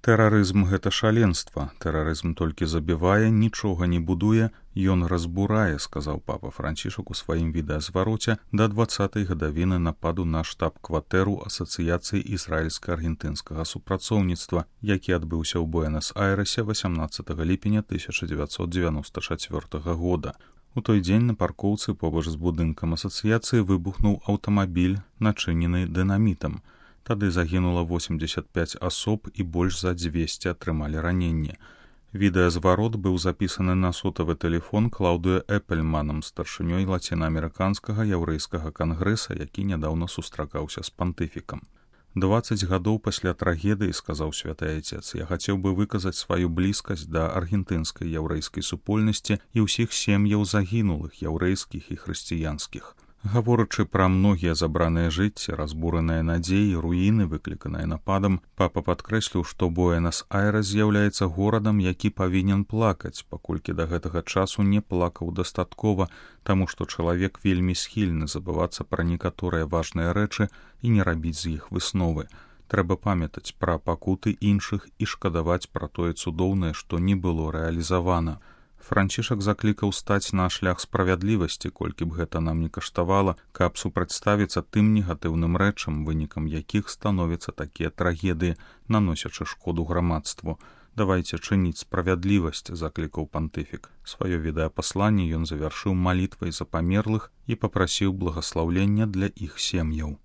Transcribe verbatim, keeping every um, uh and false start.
Тэрарызм — гэта шаленства. Тэрарызм толькі забівае, нічога не будуе, ён разбурае, сказаў папа Францішак у сваім відэазвароце да дваццатай гадавіны нападу на штаб-кватэру Асацыяцыі ізраільска-аргентынскага супрацоўніцтва, які адбыўся ў Буэнас-Айрэсе васямнаццатага ліпеня тысяча дзевяцьсот дзевяноста чацвёртага года. У той дзень на паркоўцы побач з будынкам асацыяцыі выбухнуў аўтамабіль, начынены дынамітам. Тады загінула восемьдесят пять асоб і больш за дзвесце атрымалі раненне. Відэазварот быў запісаны на сотавы тэлефон Клаўдыё Эпельманам, старшынёй лацінаамерыканскага яўрэйскага кангрэса, які нядаўна сустракаўся з пантыфікам. дваццаць гадоў пасля трагедыі, сказаў святы айцец, я хацеў бы выказаць сваю блізкасць да аргентынскай яўрэйскай супольнасці і ўсіх сем'яў загінулых яўрэйскіх і хрысціянскіх. Гаворачы пра многія забраныя жыцці, разбураныя надзеі, руіны, выкліканыя нападам, папа падкрэсліў, што Буэнас-Айрэс з'яўляецца горадам, які павінен плакаць, паколькі да гэтага часу не плакаў дастаткова, таму што чалавек вельмі схільны забывацца пра некаторыя важныя рэчы і не рабіць з іх высновы. Трэба памятаць пра пакуты іншых і шкадаваць пра тое цудоўнае, што не было рэалізавана. Францішак заклікаў стаць на шлях справядлівасці, колькі б гэта нам не каштавала, каб супрацьставіцца тым негатыўным рэчам, вынікам якіх становяцца такія трагедыі, наносячы шкоду грамадству. Давайце чыніць справядлівасць, заклікаў пантыфік. Сваё відэапасланне ён завяршыў малітвай за памерлых і папрасіў благаслаўлення для іх сем'яў.